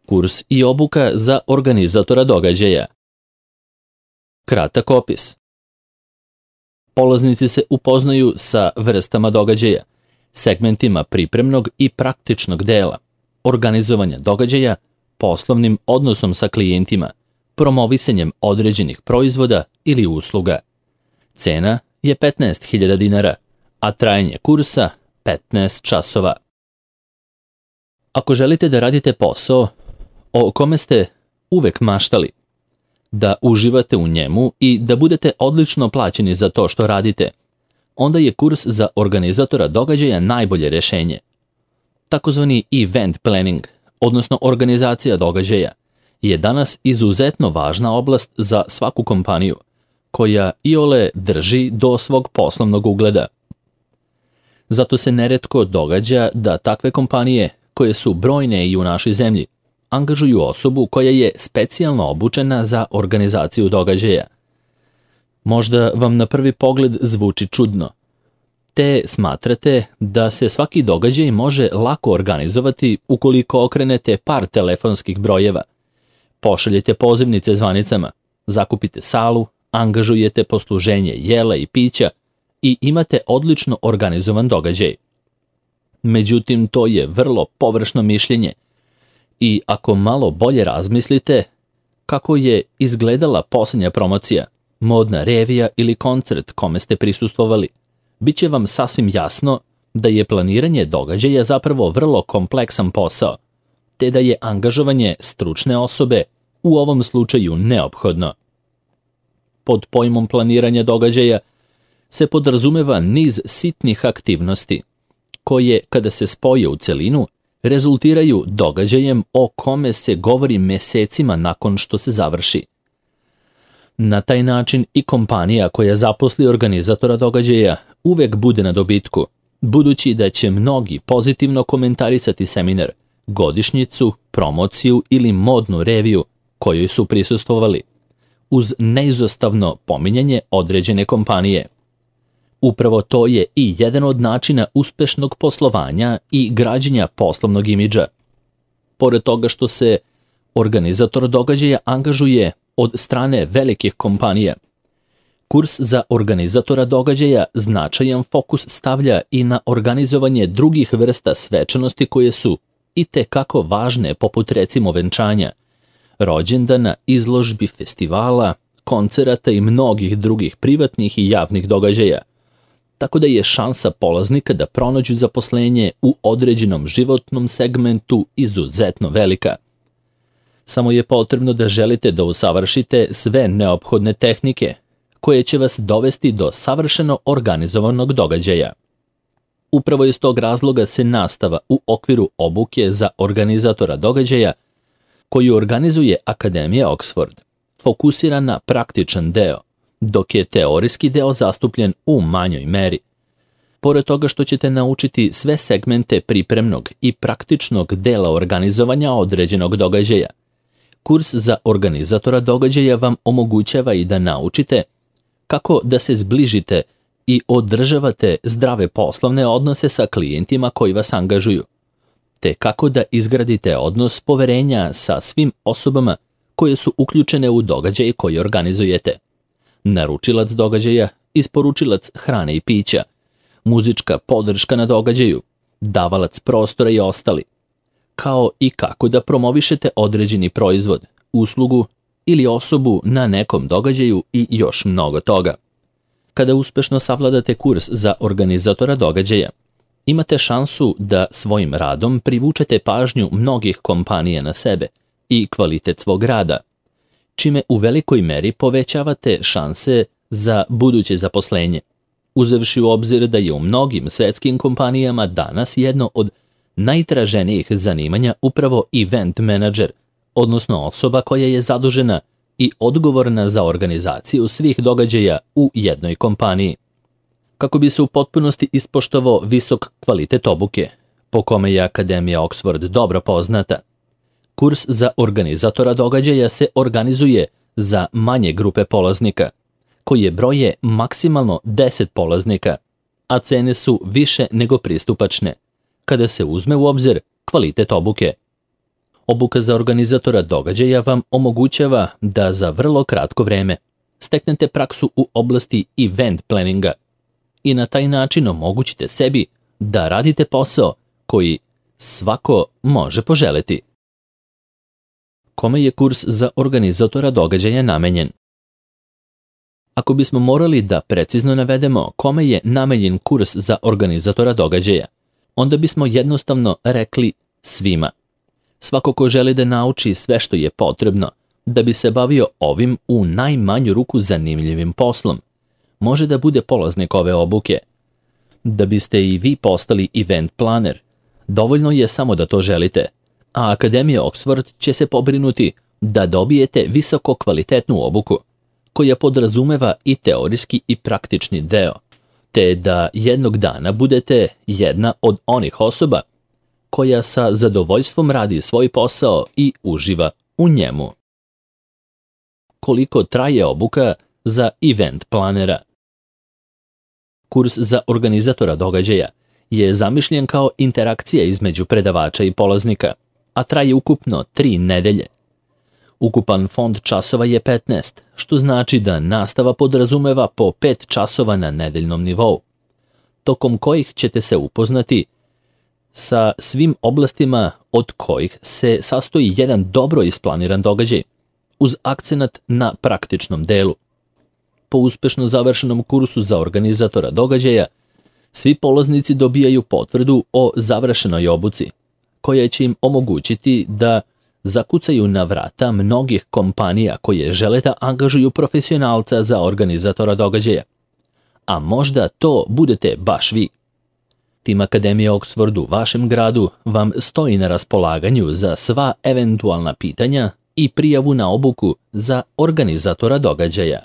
Kurs i obuka za organizatora događaja. Kratak opis. Polaznici se upoznaju sa vrstama događaja, segmentima pripremnog i praktičnog dela, organizovanja događaja, poslovnim odnosom sa klijentima, promovisanjem određenih proizvoda ili usluga. Cena je 15.000 dinara, a trajanje kursa 15 časova. Ako želite da radite posao o kome ste uvek maštali, da uživate u njemu i da budete odlično plaćeni za to što radite, onda je kurs za organizatora događaja najbolje rešenje. Takozvani event planning, odnosno organizacija događaja, je danas izuzetno važna oblast za svaku kompaniju, koja iole drži do svog poslovnog ugleda. Zato se neretko događa da takve kompanije, koje su brojne i u našoj zemlji, angažuju osobu koja je specijalno obučena za organizaciju događaja. Možda vam na prvi pogled zvuči čudno, te smatrate da se svaki događaj može lako organizovati ukoliko okrenete par telefonskih brojeva, pošaljete pozivnice zvanicama, zakupite salu, angažujete posluženje jela i pića i imate odlično organizovan događaj. Međutim, to je vrlo površno mišljenje i ako malo bolje razmislite kako je izgledala posljednja promocija, modna revija ili koncert kome ste prisustvovali, bit će vam sasvim jasno da je planiranje događaja zapravo vrlo kompleksan posao, te da je angažovanje stručne osobe u ovom slučaju neophodno. Pod pojmom planiranja događaja se podrazumeva niz sitnih aktivnosti, koje, kada se spoje u celinu, rezultiraju događajem o kome se govori mesecima nakon što se završi. Na taj način i kompanija koja zaposli organizatora događaja uvek bude na dobitku, budući da će mnogi pozitivno komentarisati seminar, godišnjicu, promociju ili modnu reviju kojoj su prisustvovali, uz neizostavno pominjanje određene kompanije. Upravo to je i jedan od načina uspešnog poslovanja i građenja poslovnog imidža. Pored toga što se organizator događaja angažuje od strane velikih kompanija, kurs za organizatora događaja značajan fokus stavlja i na organizovanje drugih vrsta svečanosti koje su i te kako važne, poput recimo venčanja, rođendana, izložbi, festivala, koncerata i mnogih drugih privatnih i javnih događaja, tako da je šansa polaznika da pronađu zaposlenje u određenom životnom segmentu izuzetno velika. Samo je potrebno da želite da usavršite sve neophodne tehnike, koje će vas dovesti do savršeno organizovanog događaja. Upravo iz tog razloga se nastava u okviru obuke za organizatora događaja, koju organizuje Akademija Oxford, fokusira na praktičan deo, dok je teorijski deo zastupljen u manjoj meri. Pored toga što ćete naučiti sve segmente pripremnog i praktičnog dela organizovanja određenog događaja, kurs za organizatora događaja vam omogućava i da naučite kako da se zbližite i održavate zdrave poslovne odnose sa klijentima koji vas angažuju, te kako da izgradite odnos poverenja sa svim osobama koje su uključene u događaj koji organizujete. Naručilac događaja, isporučilac hrane i pića, muzička podrška na događaju, davalac prostora i ostali, kao i kako da promovišete određeni proizvod, uslugu ili osobu na nekom događaju i još mnogo toga. Kada uspešno savladate kurs za organizatora događaja, imate šansu da svojim radom privučete pažnju mnogih kompanija na sebe i kvalitet svog rada, čime u velikoj meri povećavate šanse za buduće zaposlenje, uzevši u obzir da je u mnogim svetskim kompanijama danas jedno od najtraženijih zanimanja upravo event menadžer, odnosno osoba koja je zadužena i odgovorna za organizaciju svih događaja u jednoj kompaniji. Kako bi se u potpunosti ispoštovao visok kvalitet obuke, po kome je Akademija Oxford dobro poznata, kurs za organizatora događaja se organizuje za manje grupe polaznika, koje broje maksimalno 10 polaznika, a cene su više nego pristupačne, kada se uzme u obzir kvalitet obuke. Obuka za organizatora događaja vam omogućava da za vrlo kratko vreme steknete praksu u oblasti event planninga i na taj način omogućite sebi da radite posao koji svako može poželeti. Kome je kurs za organizatora događaja namenjen? Ako bismo morali da precizno navedemo kome je namenjen kurs za organizatora događaja, onda bismo jednostavno rekli svima. Svako ko želi da nauči sve što je potrebno da bi se bavio ovim u najmanju ruku zanimljivim poslom, može da bude polaznik ove obuke. Da biste i vi postali event planer, dovoljno je samo da to želite, a Akademija Oxford će se pobrinuti da dobijete visoko kvalitetnu obuku, koja podrazumeva i teorijski i praktični deo, te da jednog dana budete jedna od onih osoba koja sa zadovoljstvom radi svoj posao i uživa u njemu. Koliko traje obuka za event planera? Kurs za organizatora događaja je zamišljen kao interakcija između predavača i polaznika, a traje ukupno 3 nedelje. Ukupan fond časova je 15, što znači da nastava podrazumeva po 5 časova na nedeljnom nivou, tokom kojih ćete se upoznati sa svim oblastima od kojih se sastoji jedan dobro isplaniran događaj, uz akcenat na praktičnom delu. Po uspešno završenom kursu za organizatora događaja, svi polaznici dobijaju potvrdu o završenoj obuci, koja će im omogućiti da zakucaju na vrata mnogih kompanija koje žele da angažuju profesionalca za organizatora događaja. A možda to budete baš vi. Tim Akademije Oxford u vašem gradu vam stoji na raspolaganju za sva eventualna pitanja i prijavu na obuku za organizatora događaja.